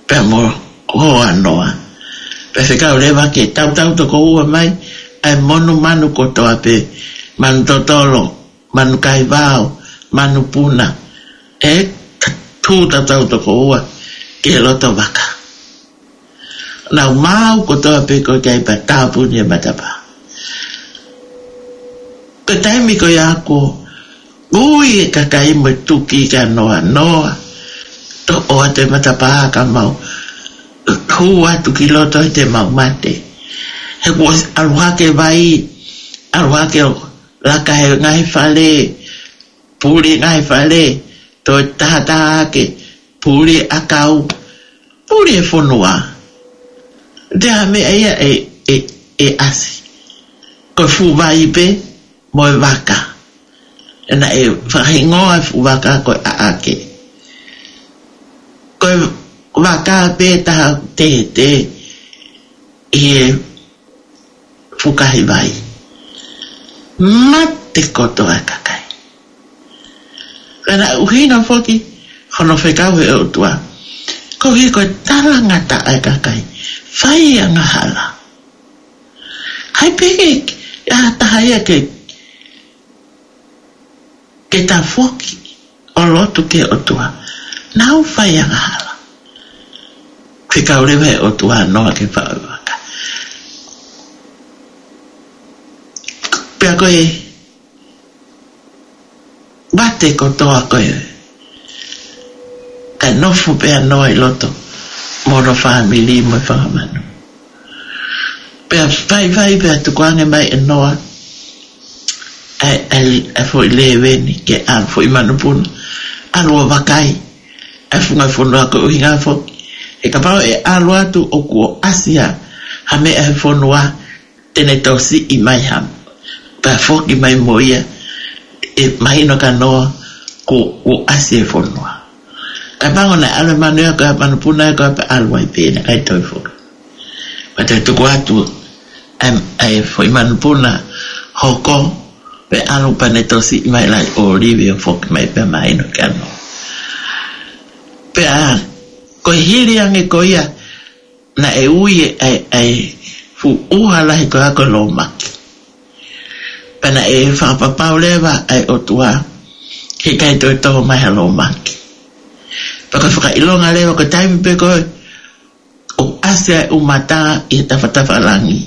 pea mo hoa ʻa Noa. Pea fekau leva ke tautau toko ua mai ʻa e monumanu kotoa pē, manu totolo, manu kaivao, manu puna, ʻe tū tautau toko ua ki he loto vaka. Nau maau kotoa pē ko ē ki ai pea tāpuni e matapā. Ko e taimi ko ia kuo ui e kakai mo e tuki kia Noa, Noa, toʻo atu e matapā ka mau hū atu ki loto he te mau mate. He kuo ʻalu hake vai, ʻalu hake ʻo laka he ngaahi fale, puli ngaahi fale, toe tahataha hake, puli ʻakau, puli e fonua. Te ha meʻa ia ʻe, ʻe, ʻe ʻasi. ko e fuʻu vai pē mo e vaka. Naʻe fakahingoa e fuʻu vaka ko e ʻAʻake. Ko e vaka pē taha tētē ʻi he fukahi vai. Mate kotoa e kakai. Ka naʻe ʻuhinga foki hono fekau ʻe he ʻOtua, koeʻuhi ko e talangataʻa e kakai, fai angahala. ʻAi pē ke, ʻa taha ia ke, ke tafoki ʻo lotu ki he ʻOtua, nau fai angahala. Fekau leva ʻe he ʻOtua ʻa Noa ke faʻu e vaka. Pea ko e mate kotoa ko ē, kae nofo pē ʻa Noa ʻi loto mo hono fāmili mo e fanga manu. Pea vaivai pea tukuange mai ʻe Noa ʻa e, ʻa e, ʻa e foʻi lēveni ke ʻalu, foʻi manupuna, ʻalu ʻo vakai ʻa e funga fonua, ko e ʻuhinga foki, he kapau ʻe ʻalu atu ʻoku ʻosi ʻa ha meʻa he fonua, te ne tosiʻi mai ha, pea foki mai mo ia, ʻe mahino kia Noa kuo, kuo ʻasi e fonua. Kae pango naʻe ʻalu e manu ia ko ē, manupuna ia ko ē, pea ʻalu ai pē, naʻe ʻikai toe foki. Pea toe tuku atu ʻa e, ʻa e foʻi manupuna hoko, pea ʻalu pea ne tosiʻi mai laʻi ʻōlive ʻo foki mai, pea mahino kia Noa. Pea ko e hili ange ko ia, naʻe ui e, ʻa e, ʻa e fuʻu ʻuha lahi ko ia ko e lōmaki. Pea naʻe fakapapau leva ʻa e ʻOtua he ʻikai toe tō mai ha lōmaki. Pea ko e fakaʻilonga leva ko e taimi pē ko ē ʻoku ʻasi ai e ʻumata ʻi he tafatafa langi,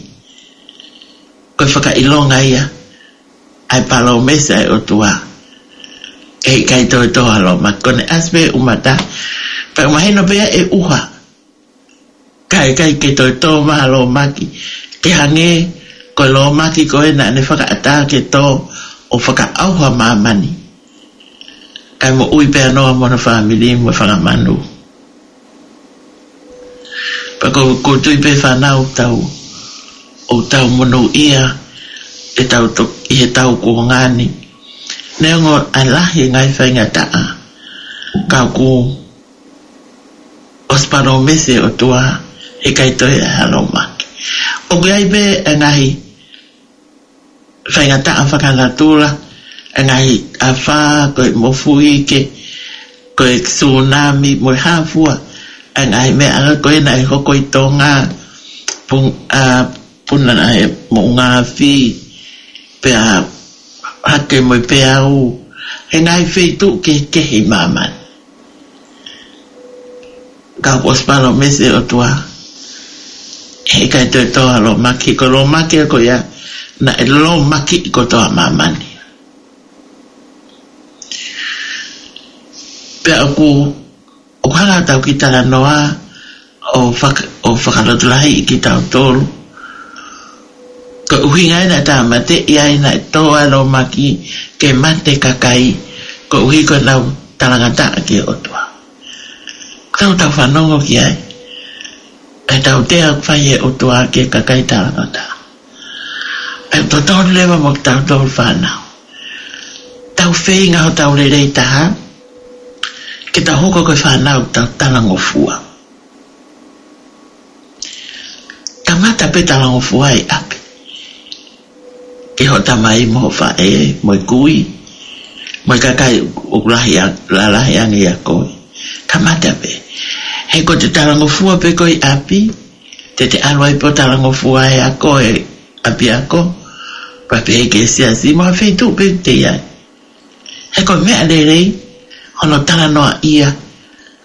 ko e fakaʻilonga ia ʻa e palōmesi ʻa e ʻOtua, he ʻikai toe tō ha lōmaki. Ko ʻene ʻasi pē e ʻumata, pea mahino pē ia e ʻuha, kae ʻikai ke toe tō mai ha lōmaki, ke hangē ko e lōmaki ko ē naʻa ne fakaʻatā ke tō ʻo fakaʻauha māmani, kae moʻui pē ʻa Noa mo hono fāmili mo e fanga manu. Pea ko, ʻoku ou tui pē fānau, tau, ʻoku tau monūʻia ʻetau to-, ʻi heʻetau kuonga ni. Neongo ʻa e lahi e ngaahi faingataʻa, ka kuo ʻosi palōmesi e ʻOtua, he ʻikai toe ʻi ai ha lōmaki. ʻOku ʻi ai pē e ngaahi faingataʻa fakanatula, e ngaahi afā, ko e mofuike, ko e tsunami, mo e hā fua, e ngaahi meʻa ko ē naʻe hoko ʻi Tonga, pung-, ʻa, puna naʻe moʻunga afi, pea hake mo e peau, he ngaahi feituʻu kehekehe ʻi māmani. Ka kuo ʻosi palōmesi e ʻOtua, he ʻikai toe tō ha lōmaki, ko e lōmaki ko ia naʻe lōmakiʻi kotoa māmani. Pea ʻoku, ʻoku hanga ʻetau kiʻi talanoa ʻo faka-, ʻo fakalotolahiʻi kitautolu. Ko e ʻuhinga ia naʻe tāmateʻi ai, naʻe tō ai e lōmaki ke mate e kakai, koeʻuhi ko ʻenau talangataʻa ki he ʻOtua. Tau, tau fanongo ki ai. ʻE tautea ʻoku fai ʻe he ʻOtua ki he kakai talangataʻa. ʻE totonu leva mo kitautolu fānau. Tau feinga hotau lelei taha, ke tau hoko ko e fānau tau talangofua. Kamata pē talangofua ʻi ʻapi. Ki hoʻo tamai mo hoʻo faʻē, mo e kui, mo e kakai ʻoku lahi a-, lalahi ange ʻia koe. Kamata pē. He ko ʻete talangofua pē koe ʻi ʻapi, te te ʻalu ai pē ʻo talangofua ʻi he ako, ʻi ʻapiako, pea pehē ki he siasi, mo ha feituʻu pē te ʻi ai. He ko e meʻa lelei hono talanoaʻia,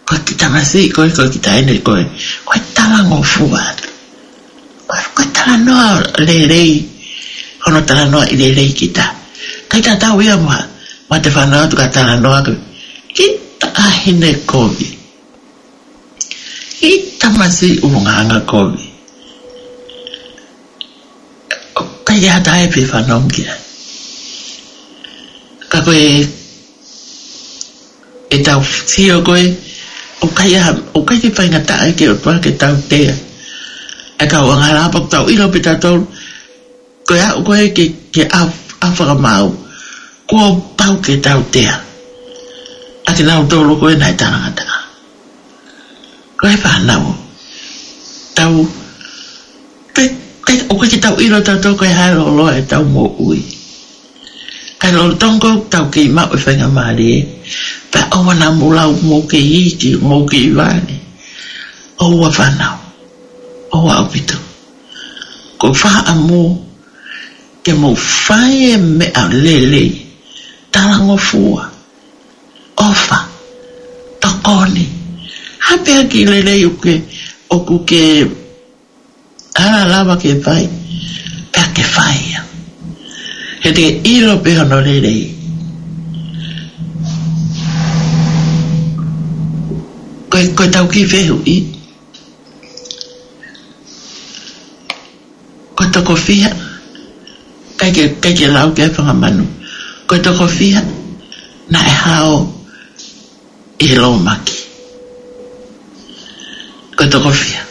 ko e kiʻi tamasiʻi ko ē, ko e kiʻi taʻahine ko ē, ko e talangofua. Ko e, ko e talanoa lelei, hono talanoaʻi lelei kita. ʻIkai tatau ia mo ha, mo ʻete fanongo atu ka talanoa ko e kiʻi taʻahine kovi, kiʻi tamasiʻi ʻulungaanga kovi. ʻIkai ha taha ʻe fie fanongo ki ai. Ka ko e, ʻetau sio ko ē, ʻoku ʻikai ha, ʻoku ʻikai ke faingataʻa ki he ʻOtua ke tautea e kau angahala, pea ʻoku tau ʻilo pē tautolu, Ko e aʻu ko ē ki he, ki he ʻaho, ʻaho fakamaau, kuo pau ke tautea ʻa kinautolu ko ē naʻe talangataʻa. Ko e fānau, tau, pe, pe, ʻoku ʻikai ke tau ʻilo tautolu ko e hā e lōloa ʻetau moʻui. Ka ʻi he lolotonga ʻoku tau kei maʻu e faingamālie, pea ʻoua naʻa mou lau mou kei iiki, mou kei vale. ʻOua fānau, ʻoua ʻaupito. Ko e fakaʻamu ke mou fai e meʻa lelei, talangofua, ʻofa, tokoni. Ha pē ha kiʻi lelei ʻoku ke, ʻoku ke ala lava ke fai, pea ke fai ia. He te ke ʻilo pē hono lelei. Ko e, ko ʻetau kiʻi fehuʻi. Ko e toko fiha, ʻikai ke, ʻikai ke lau ki ai e fanga manu. Ko e toko fiha naʻe hao ʻi he lōmaki? Ko e toko fiha?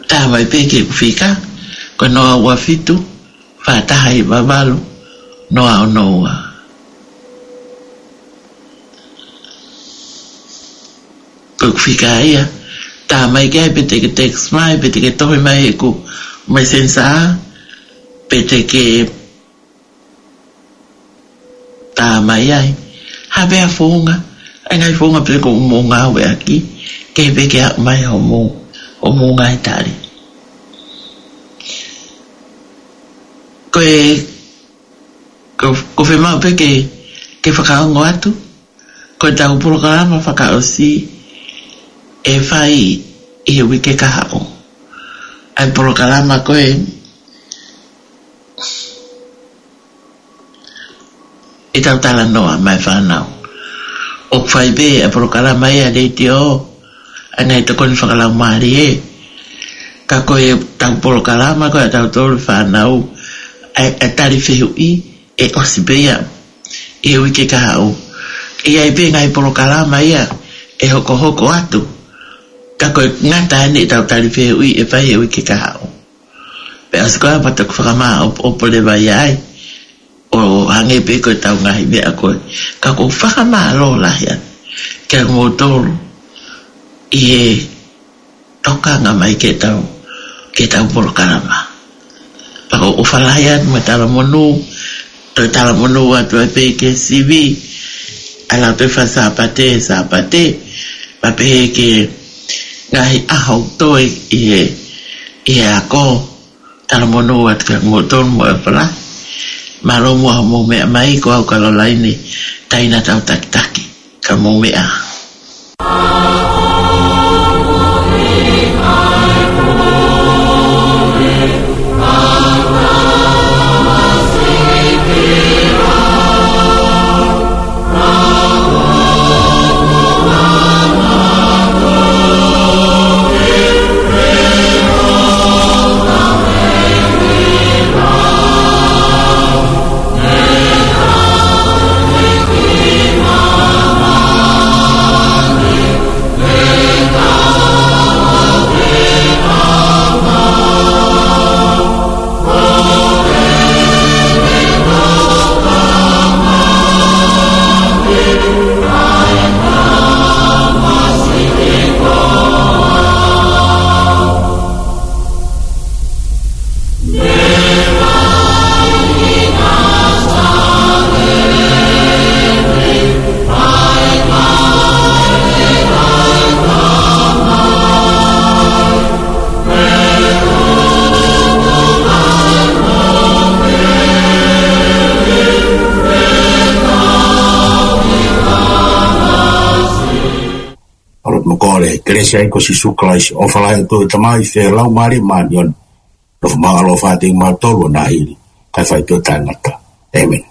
Tā mai pē ki heʻeku fika, ko e noa ua fitu, fā taha hiva valu, noa ono ua. Ko ʻeku fika ia, tā mai ki ai pe te ke text mai, pe te ke tohi mai heʻeku Messenger, pe te ke tā mai ai. Ha pē ha founga, ʻa e ngaahi founga pē ko ē ʻoku mou ngāueʻaki, ke pē ke aʻu mai hoʻomou, hoʻomou ngaahi tali. Ko e, ko, ʻoku fiemaʻu pē ke, ke fakaongo atu, ko ʻetau polokalama fakaʻosi ʻe fai ʻi he uike kahaʻu. ʻA e polokalama ko ē ʻetau talanoa maʻa e fānau. ʻOku fai pē ʻa e polokalama ia ʻa e letiō, ʻa e ngaahi tokoni fakalaumālie. Ka ko ʻetau polokalama ko ē ʻatautolu fānau, ʻa e, ʻa e tali fehuʻi, ʻe ʻosi pē ia ʻi he uike kahaʻu. ʻE ʻi ai pē ngaahi polokalama ia ʻe hokohoko atu. Ka ko e ngata eni ʻetau tali fehuʻi ʻe fai he uike kahaʻu. Pea ʻosi ko ia pea toki fakamāʻopoʻopo leva ia ai, ʻo hangē pē ko ʻetau ngaahi meʻa ko ē. Ka ʻoku ou fakamālō lahi atu kiate kimoutolu ʻi he tokanga mai ki heʻetau, ki heʻetau polokalama. Pea ʻoku ou ʻofa lahi atu mo e talamonū, toe talamonū atu ai pē ki he sivi, ʻa e Lautohi Faka-Sāpate, Sāpate, pea pehē ki he ngaahi ʻaho toe ʻi he, ʻi he ako, talamonū atu kiate kimoutolu mo e ʻofa lahi. Mālō muʻa hoʻomou meʻa mai, ko au Kalolaine Taina Tautakitaki, ka mou meʻa. ʻOku ou lotu mo kole, kelesi ʻa e ʻEiki ko Sīsū Kalaisi, ʻofa lahi ʻa e ʻOtua ko e Tamai, feohi ʻa e Laumālie Māʻoniʻoni, nofo maʻu ʻaloʻofa ʻiate kimautolu ʻo nahili, kae fai pē ʻo taʻengata. ʻĒmeni.